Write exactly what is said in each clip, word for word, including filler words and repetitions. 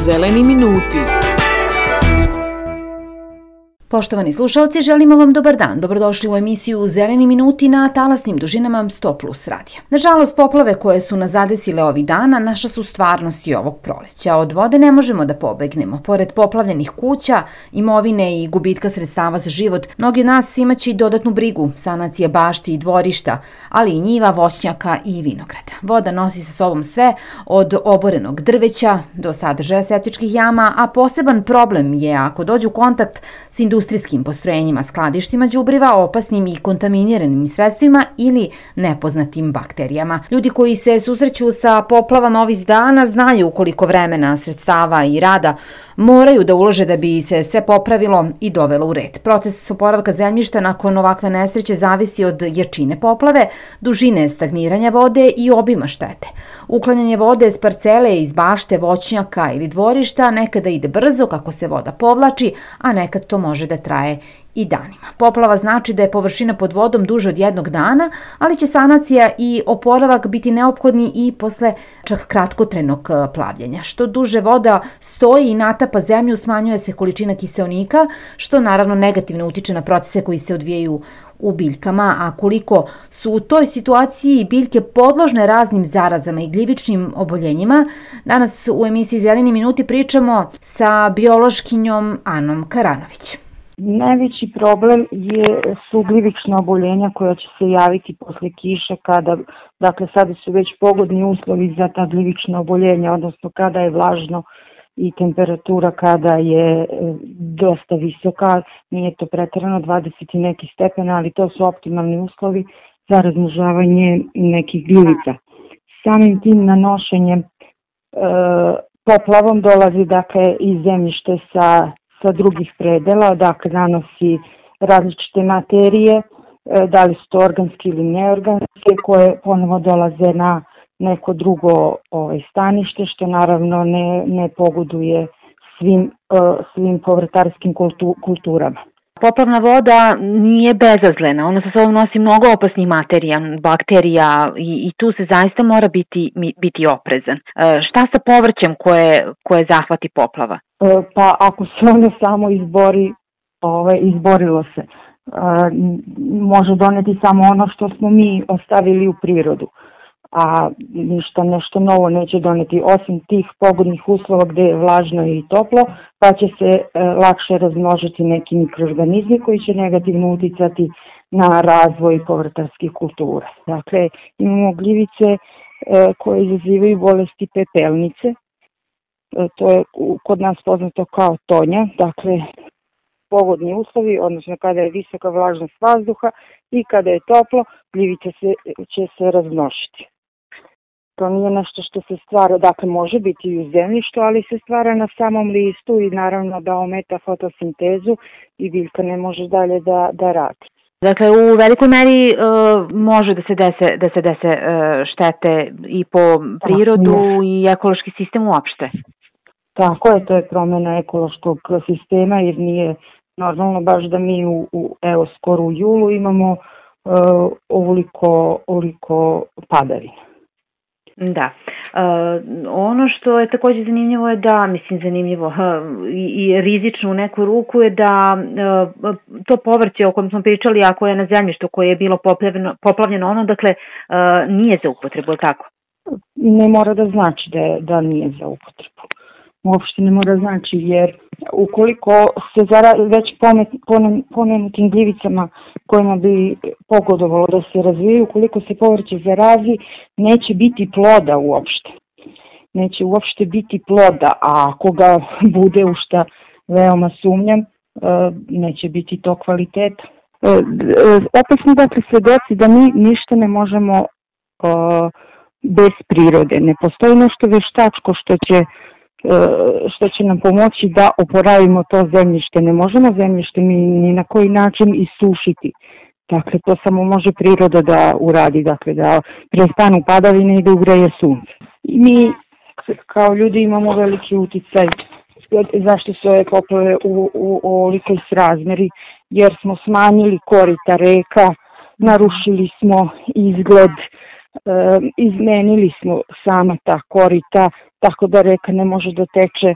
Zeleni minuti. Poštovani slušalci, želimo vam dobar dan. Dobrodošli u emisiju Zeleni minuti na talasnim dužinama sto plus radija. Nažalost, poplave koje su nas zadesile ovih dana naša su stvarnost i ovog proleća. Od vode ne možemo da pobegnemo. Pored poplavljenih kuća, imovine i gubitka sredstava za život, mnogi od nas imaće i dodatnu brigu, sanacije bašti i dvorišta, ali i njiva, voćnjaka i vinograda. Voda nosi sa sobom sve od oborenog drveća do sadržaja septičkih jama, a poseban problem je ako dođe u kontakt s industrijom industrijskim postrojenjima, skladištima đubriva, opasnim i kontaminiranim sredstvima ili nepoznatim bakterijama. Ljudi koji se susreću sa poplavama ovih dana znaju koliko vremena, sredstava i rada moraju da ulože da bi se sve popravilo i dovelo u red. Proces oporavka zemljišta nakon ovakve nesreće zavisi od jačine poplave, dužine stagniranja vode i obima štete. Uklanjanje vode s parcele, iz bašte, voćnjaka ili dvorišta nekada ide brzo kako se voda povlači, a nekad to može da traje i danima. Poplava znači da je površina pod vodom duže od jednog dana, ali će sanacija i oporavak biti neophodni i posle čak kratkotrenog plavljenja. Što duže voda stoji i natapa zemlju, smanjuje se količina kiseonika, što naravno negativno utiče na procese koji se odvijaju u biljkama, a koliko su u toj situaciji biljke podložne raznim zarazama i gljivičnim oboljenjima, danas u emisiji Zeleni minuti pričamo sa biološkinjom Anom Karanović. Najveći problem je, su gljivična oboljenja koja će se javiti posle kiše kada, dakle sada su već pogodni uslovi za ta gljivična oboljenja, odnosno kada je vlažno i temperatura kada je dosta visoka, nije to preterano dvadeset i neki stepena, ali to su optimalni uslovi za razmnožavanje nekih gljivica. Samim tim nanošenjem e, poplavom dolazi dakle iz zemljište sa sa drugih predela, dakle nanosi različite materije, da li su to organske ili neorganske, koje ponovo dolaze na neko drugo ovaj, stanište, što naravno ne, ne pogoduje svim, svim povrtarskim kultu, kulturama. Poplavna voda nije bezazlena, ona sa sobom nosi mnogo opasnih materija, bakterija i, i tu se zaista mora biti, biti oprezan. E, šta sa povrćem koje, koje zahvati poplava? E, pa ako se ono samo izbori, ove, izborilo se, e, može doneti samo ono što smo mi ostavili u prirodu, a ništa nešto novo neće doneti osim tih pogodnih uslova gde je vlažno i toplo, pa će se e, lakše razmnožiti neki mikroorganizmi koji će negativno uticati na razvoj povrtarskih kultura. Dakle, imamo gljivice e, koje izazivaju bolesti pepelnice, e, to je kod nas poznato kao tonja, dakle pogodni uslovi, odnosno kada je visoka vlažnost vazduha i kada je toplo, gljivica se, će se razmnožiti. To nije nešto što se stvara, dakle može biti i u zemljištu, ali se stvara na samom listu i naravno da ometa fotosintezu i biljka ne može dalje da, da radi. Dakle, u velikoj meri uh, može da se dese, da se dese uh, štete i po prirodu da, i ekološki sistem uopšte. Tako je, to je promjena ekološkog sistema jer nije normalno baš da mi u, u evo skoro u julu imamo uh, ovoliko, ovoliko padavina. Da. Uh, ono što je također zanimljivo je da, mislim zanimljivo uh, i, i rizično u neku ruku je da uh, to povrće o kojem smo pričali, a koje je na zemljištu koje je bilo poplavljeno, poplavljeno ono, dakle uh, nije za upotrebu, tako? Ne mora da znači da, je, da nije za upotrebu. Uopšte ne mora znači jer ukoliko se zara, već pomenutim gljivicama kojima bi pogodovalo da se razvijaju, ukoliko se povrće zarazi, neće biti ploda uopšte. Neće uopšte biti ploda, a ako ga bude, u šta veoma sumnjam, neće biti to kvaliteta. Opasno dakle se desi da mi ništa ne možemo bez prirode. Ne postoji nešto veštačko što će što će nam pomoći da oporavimo to zemljište. Ne možemo zemljište mi ni na koji način isušiti. Dakle, to samo može priroda da uradi, dakle, da prestanu padavine i da ugreje sunce. I mi kao ljudi imamo veliki uticaj zašto su ove poplave u, u ovolikoj srazmeri, jer smo smanjili korita reka, narušili smo izgled, e, izmenili smo sama ta korita, tako da reka ne može da teče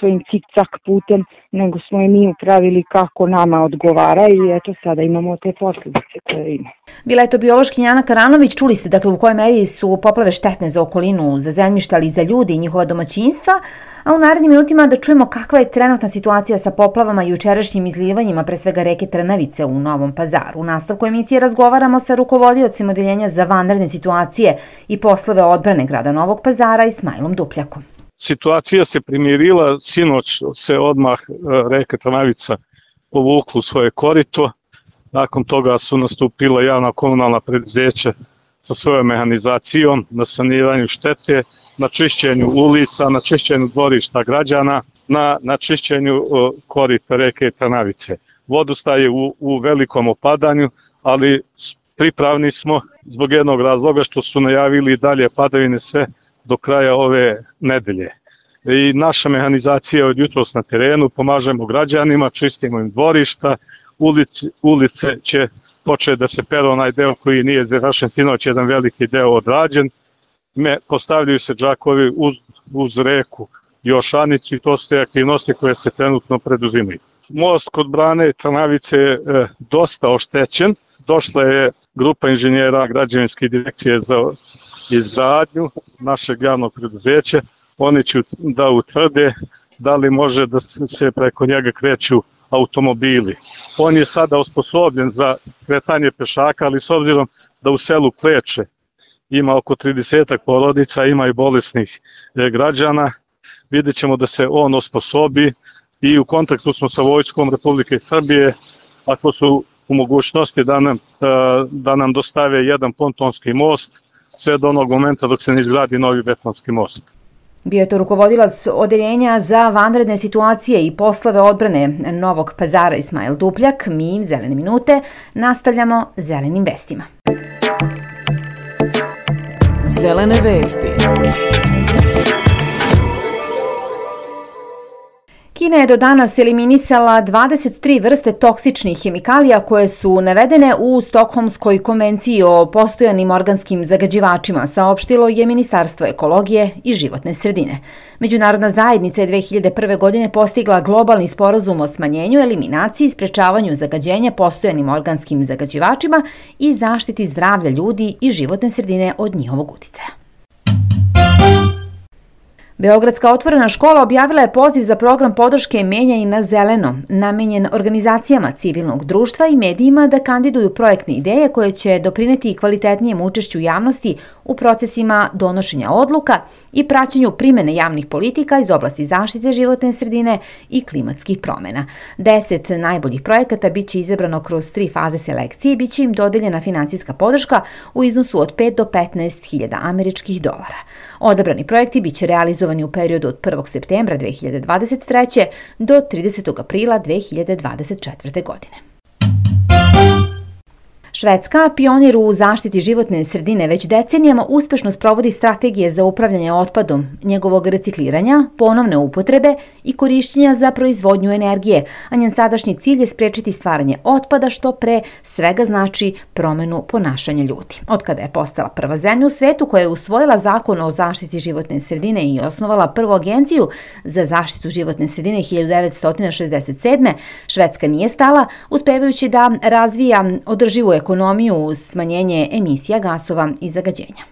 svojim cik-cak putem, nego smo je mi upravili kako nama odgovara i eto sada imamo te posljedice koje ima. Bila je to biološkinja Ana Karanović. Čuli ste dakle u kojoj meri su poplave štetne za okolinu, za zemljišta, ali i za ljudi i njihova domaćinstva, a u narednim minutima da čujemo kakva je trenutna situacija sa poplavama i jučerašnjim izlivanjima pre svega reke Trnavice u Novom Pazaru. U nastavku emisije razgovaramo sa rukovodiocem odeljenja za vanredne situacije i poslove odbrane grada Novog Pazara Ismailom Dupljakom. Situacija se primirila, sinoć se odmah reka Trnavica povukla u svoje korito, nakon toga su nastupila javna komunalna preduzeća sa svojom mehanizacijom na saniranju štete, na čišćenju ulica, na čišćenju dvorišta građana, na, na čišćenju korita reke Trnavice. Vodostaj je u, u velikom opadanju, ali pripravni smo zbog jednog razloga što su najavili dalje padavine sve do kraja ove nedelje. I naša mehanizacija od jutros na terenu, pomažemo građanima, čistimo im dvorišta, ulice, ulice će početi da se pere onaj deo koji nije završen, sinoć jedan veliki deo odrađen. Me, postavljaju se džakovi uz, uz reku Jošanicu i to su te aktivnosti koje se trenutno preduzimaju. Most kod brane Trnavice je e, dosta oštećen. Došla je grupa inženjera građevinske direkcije za izgradnju našeg javnog preduzeća. Oni će da utvrde da li može da se preko njega kreću automobili. On je sada osposobljen za kretanje pešaka, ali s obzirom da u selu Kleče ima oko trideset porodica, ima i bolesnih građana, vidjet ćemo da se on osposobi i u kontaktu smo sa Vojskom Republike Srbije, ako su u mogućnosti da nam, da nam dostave jedan pontonski most, sve do onog momenta dok se ne izgradi novi betonski most. Bio je to rukovodilac odeljenja za vanredne situacije i poslove odbrane Novog Pazara Ismail Dupljak. Mi, Zelene minute, nastavljamo zelenim vestima. Zelene vesti. Kina je do danas eliminisala dvadeset tri vrste toksičnih hemikalija koje su navedene u Stokholmskoj konvenciji o postojanim organskim zagađivačima, saopštilo je Ministarstvo ekologije i životne sredine. Međunarodna zajednica je dve hiljade prve. godine postigla globalni sporazum o smanjenju, eliminaciji i sprečavanju zagađenja postojanim organskim zagađivačima i zaštiti zdravlja ljudi i životne sredine od njihovog uticaja. Beogradska otvorena škola objavila je poziv za program podrške Menjaj na zeleno, namenjen organizacijama civilnog društva i medijima da kandiduju projektne ideje koje će doprineti kvalitetnijem učešću javnosti u procesima donošenja odluka i praćenju primene javnih politika iz oblasti zaštite životne sredine i klimatskih promjena. Deset najboljih projekata biće izabrano kroz tri faze selekcije i biće im dodeljena finansijska podrška u iznosu od pet do petnaest hiljada američkih dolara. Odabrani projekti biće realizovani u periodu od prvog septembra dve hiljade dvadeset treće. do tridesetog aprila dve hiljade dvadeset četvrte. godine. Švedska, pionir u zaštiti životne sredine, već decenijama uspešno sprovodi strategije za upravljanje otpadom, njegovog recikliranja, ponovne upotrebe i korišćenja za proizvodnju energije, a njen sadašnji cilj je sprečiti stvaranje otpada, što pre svega znači promenu ponašanja ljudi. Od kada je postala prva zemlja u svetu koja je usvojila zakon o zaštiti životne sredine i osnovala prvu agenciju za zaštitu životne sredine hiljadu devetsto šezdeset sedme. Švedska nije stala, uspevajući da razvija održivu ekonomiju uz smanjenje emisija gasova i zagađenja.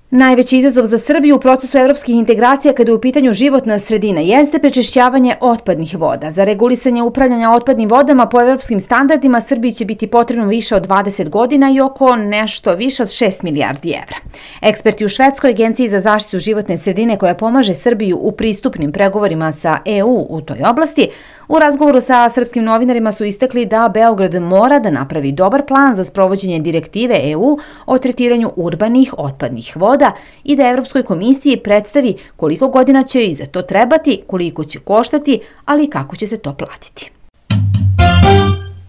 Najveći izazov za Srbiju u procesu evropskih integracija kada je u pitanju životna sredina jeste prečišćavanje otpadnih voda. Za regulisanje upravljanja otpadnim vodama po evropskim standardima Srbiji će biti potrebno više od dvadeset godina i oko nešto više od šest milijardi evra. Eksperti u Švedskoj agenciji za zaštitu životne sredine koja pomaže Srbiju u pristupnim pregovorima sa E U u toj oblasti, u razgovoru sa srpskim novinarima su istakli da Beograd mora da napravi dobar plan za sprovođenje direktive E U o tretiranju urbanih otpadnih voda i da Evropskoj komisiji predstavi koliko godina će i za to trebati, koliko će koštati, ali i kako će se to platiti.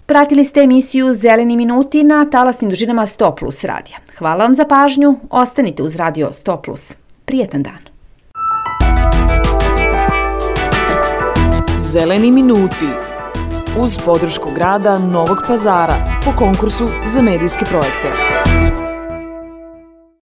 Pratili ste emisiju Zeleni minuti na talasnim dužinama sto plus radija. Hvala vam za pažnju, ostanite uz radio sto plus. Prijetan dan. Zeleni minuti uz podršku grada Novog Pazara po konkursu za medijske projekte.